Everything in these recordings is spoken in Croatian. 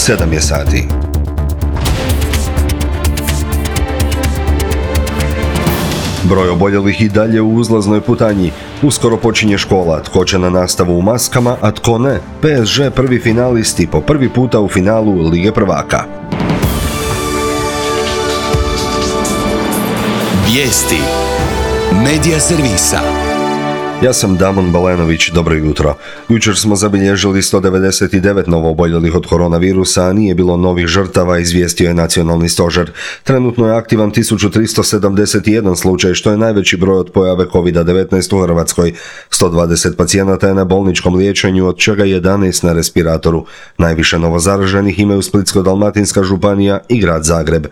7 je sati. Broj oboljelih i dalje u uzlaznoj putanji. Uskoro počinje škola, tko će na nastavu u maskama, a tko ne. PSG prvi finalisti po prvi puta u finalu Lige prvaka. Vijesti Medija servisa. Ja sam Damon Balenović, dobro jutro. Jučer smo zabilježili 199 novooboljelih od koronavirusa, a nije bilo novih žrtava, izvijestio je nacionalni stožer. Trenutno je aktivan 1371 slučaj, što je najveći broj od pojave COVID-19 u Hrvatskoj. 120 pacijenata je na bolničkom liječenju, od čega 11 na respiratoru. Najviše novozaraženih imaju Splitsko-dalmatinska županija i grad Zagreb.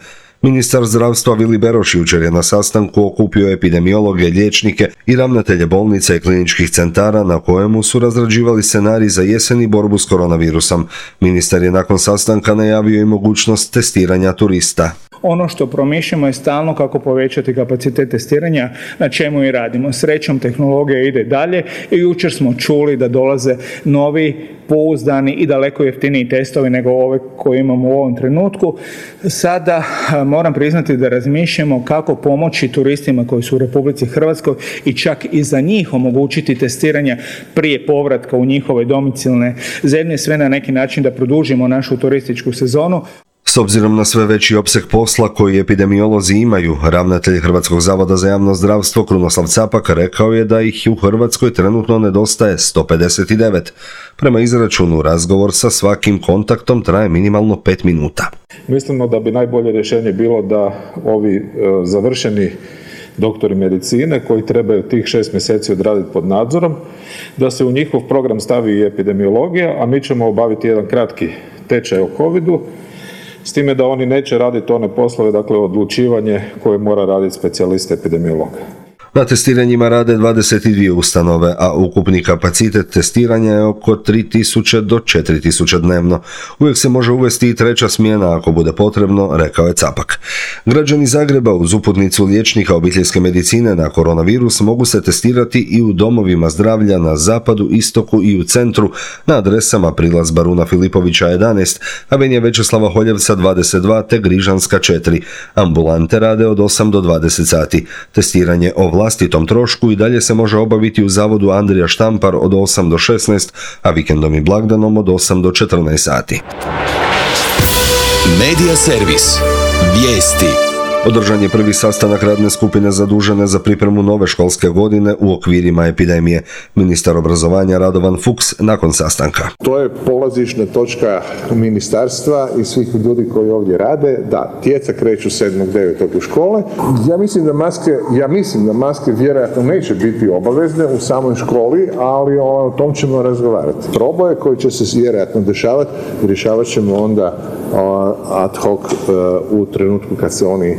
Ministar zdravstva Vili Beroš jučer je na sastanku okupio epidemiologe, liječnike i ravnatelje bolnica i kliničkih centara na kojemu su razrađivali scenarij za jesen i borbu s koronavirusom. Ministar je nakon sastanka najavio i mogućnost testiranja turista. Ono što promišljamo je stalno kako povećati kapacitet testiranja, na čemu i radimo. Srećom, tehnologija ide dalje i jučer smo čuli da dolaze novi, pouzdani i daleko jeftiniji testovi nego ove koje imamo u ovom trenutku. Sada moram priznati da razmišljamo kako pomoći turistima koji su u Republici Hrvatskoj i čak i za njih omogućiti testiranja prije povratka u njihove domicilne zemlje, sve na neki način da produžimo našu turističku sezonu. S obzirom na sve veći opseg posla koji epidemiolozi imaju, ravnatelj Hrvatskog zavoda za javno zdravstvo Krunoslav Capak rekao je da ih u Hrvatskoj trenutno nedostaje 159. Prema izračunu, razgovor sa svakim kontaktom traje minimalno 5 minuta. Mislimo da bi najbolje rješenje bilo da ovi završeni doktori medicine koji trebaju tih 6 mjeseci odraditi pod nadzorom, da se u njihov program stavi i epidemiologija, a mi ćemo obaviti jedan kratki tečaj o covidu, s time da oni neće raditi one poslove, dakle odlučivanje koje mora raditi specijalist epidemiologa. Na testiranjima rade 22 ustanove, a ukupni kapacitet testiranja je oko 3000 do 4000 dnevno. Uvijek se može uvesti i treća smjena ako bude potrebno, rekao je Capak. Građani Zagreba uz uputnicu liječnika obiteljske medicine na koronavirus mogu se testirati i u domovima zdravlja na zapadu, istoku i u centru na adresama Prilaz Baruna Filipovića 11, Avenije Večeslava Holjevca 22 te Grižanska 4. Ambulante rade od 8 do 20 sati. Testiranje o vlastitom trošku i dalje se može obaviti u zavodu Andrija Štampar od 8 do 16, a vikendom i blagdanom od 8 do 14 sati. Medija servis. Vijesti. Održan je prvi sastanak radne skupine zadužene za pripremu nove školske godine u okvirima epidemije. Ministar obrazovanja Radovan Fuchs nakon sastanka. To je polazišna točka ministarstva i svih ljudi koji ovdje rade. Da, djeca kreću 7.9. u škole. Ja mislim da maske vjerojatno neće biti obavezne u samoj školi, ali o tom ćemo razgovarati. Proboje koji će se vjerojatno dešavati, rješavat ćemo onda ad hoc u trenutku kad se oni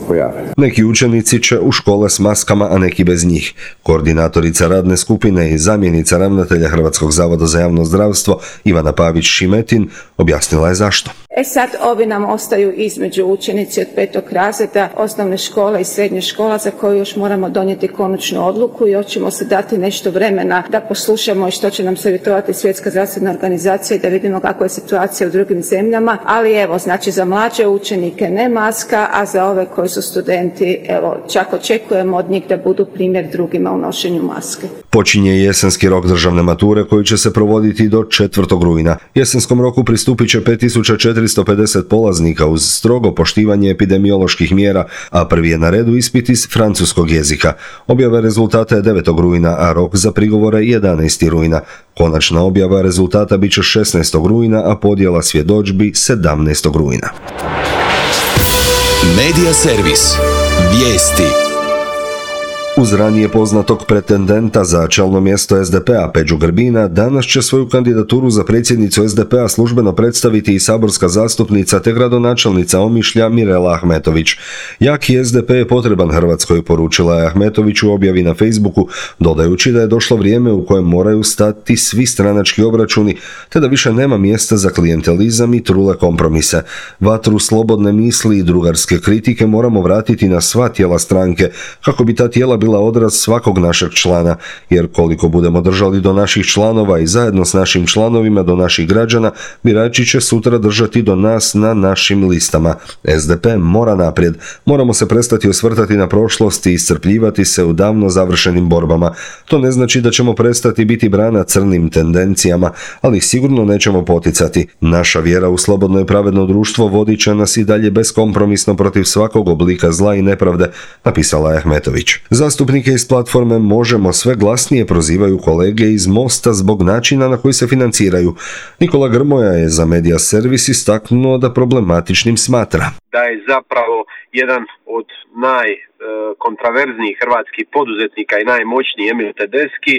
pojave. Neki učenici će u škole s maskama, a neki bez njih. Koordinatorica radne skupine i zamjenica ravnatelja Hrvatskog zavoda za javno zdravstvo Ivana Pavić-Šimetin objasnila je zašto. Sad ovi nam ostaju između učenici od 5. razreda osnovne škole i srednje škola za koju još moramo donijeti konačnu odluku i još ćemo se dati nešto vremena da poslušamo i što će nam savjetovati Svjetska zdravstvena organizacija i da vidimo kakva je situacija u drugim zemljama, ali evo, znači za mlađe učenike ne maska, a za ove koji su studenti, evo, čak očekujemo od njih da budu primjer drugima u nošenju maske. Počinje jesenski rok državne mature koji će se provoditi do 4. rujna. Jesenskom roku pristupit će 5450 polaznika uz strogo poštivanje epidemioloških mjera, a prvi je na redu ispit iz francuskog jezika. Objava rezultata je 9. rujna, a rok za prigovore 11. rujna. Konačna objava rezultata bit će 16. rujna, a podjela svjedodžbi 17. rujna. Medija servis. Vijesti. Uz ranije poznatog pretendenta za čelno mjesto SDP-a Peđu Grbina, danas će svoju kandidaturu za predsjednicu SDP-a službeno predstaviti i saborska zastupnica te gradonačelnica Omišlja Mirela Ahmetović. Jaki SDP je potreban Hrvatskoj, poručila je Ahmetović u objavi na Facebooku, dodajući da je došlo vrijeme u kojem moraju stati svi stranački obračuni, te da više nema mjesta za klijentelizam i trule kompromise. Vatru slobodne misli i drugarske kritike moramo vratiti na sva tijela stranke, kako bi ta tijela bila bila odraz svakog našeg člana, jer koliko budemo držali do naših članova i zajedno s našim članovima do naših građana, birači će sutra držati do nas na našim listama. SDP mora naprijed. Moramo se prestati osvrtati na prošlost i iscrpljivati se u davno završenim borbama. To ne znači da ćemo prestati biti brana crnim tendencijama, ali sigurno nećemo poticati. Naša vjera u slobodno i pravedno društvo vodit će nas i dalje beskompromisno protiv svakog oblika zla i nepravde, napisala je Ahmetović. Zastupnike iz platforme Možemo sve glasnije prozivaju kolege iz Mosta zbog načina na koji se financiraju. Nikola Grmoja je za Medija servis istaknuo da problematičnim smatra da je zapravo jedan od najkontraverznijih hrvatskih poduzetnika i najmoćniji Emil Tedeschi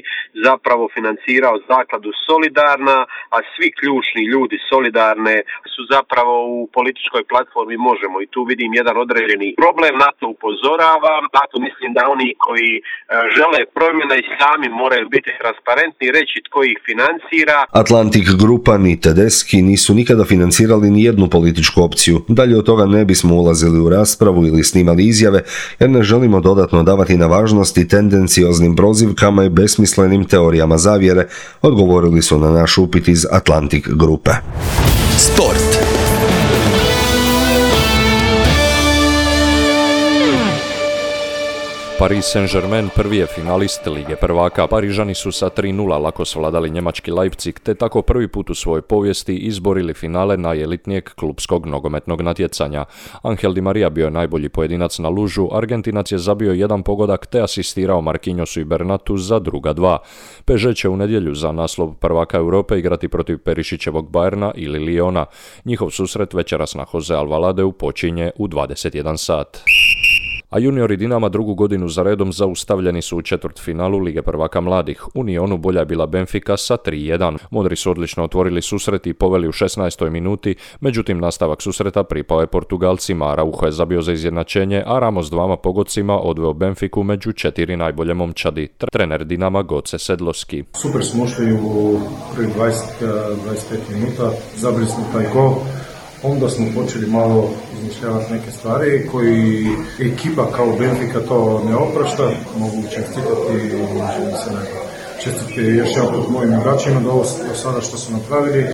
zapravo financirao zakladu Solidarna, a svi ključni ljudi Solidarne su zapravo u političkoj platformi Možemo i tu vidim jedan određeni problem, na to upozoravam, zato mislim da oni koji žele promjene i sami moraju biti transparentni i reći tko ih financira. Atlantic Grupa ni Tedeschi nisu nikada financirali ni jednu političku opciju. Dalje od toga ne bismo ulazili u raspravu ili snimali izjave, jer ne želimo dodatno davati na važnosti tendencioznim prozivkama i besmislenim teorijama zavjere, odgovorili su na naš upit iz Atlantic Grupe. Sport. Paris Saint-Germain prvi je finalist Lige prvaka. Parižani su sa 3:0 lako svladali njemački Leipzig, te tako prvi put u svojoj povijesti izborili finale najelitnijeg klupskog nogometnog natjecanja. Angel Di Maria bio je najbolji pojedinac na lužu, Argentinac je zabio jedan pogodak te asistirao Marquinhosu i Bernatu za druga dva. PSG će u nedjelju za naslov prvaka Europe igrati protiv Perišićevog Bayerna ili Liona. Njihov susret večeras na Jose Alvaladeu počinje u 21 sat. A juniori Dinama drugu godinu za redom zaustavljeni su u četvrtfinalu Lige prvaka mladih. U Nionu bolja je bila Benfica sa 3:1. Modri su odlično otvorili susret i poveli u 16. minuti, međutim nastavak susreta pripao je Portugalcima. Araujo je zabio za izjednačenje, a Ramos dvama pogodcima odveo Benfiku među 4 najbolje momčadi. Trener Dinama Goce Sedlovski. Super smo ušli u prvih 25 minuta, zabili smo taj gol. Onda smo počeli malo izmišljavati neke stvari koji ekipa kao Benfica to ne oprašta. Mogu čestitati još jedan put mojim igračima do sada što su napravili.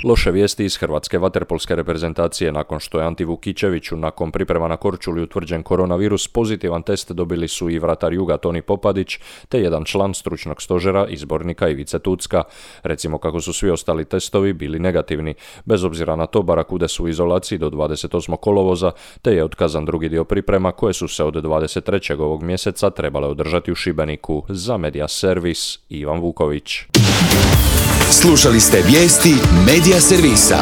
Loše vijesti iz hrvatske vaterpolske reprezentacije. Nakon što je Anti Vukićeviću nakon priprema na Korčuli utvrđen koronavirus, pozitivan test dobili su i vratar Juga Toni Popadić, te jedan član stručnog stožera izbornika Ivice Tucka. Recimo kako su svi ostali testovi bili negativni. Bez obzira na to, Barakude su u izolaciji do 28. kolovoza, te je otkazan drugi dio priprema koje su se od 23. ovog mjeseca trebale održati u Šibeniku. Za Medija servis Ivan Vuković. Slušali ste vijesti Medija servisa.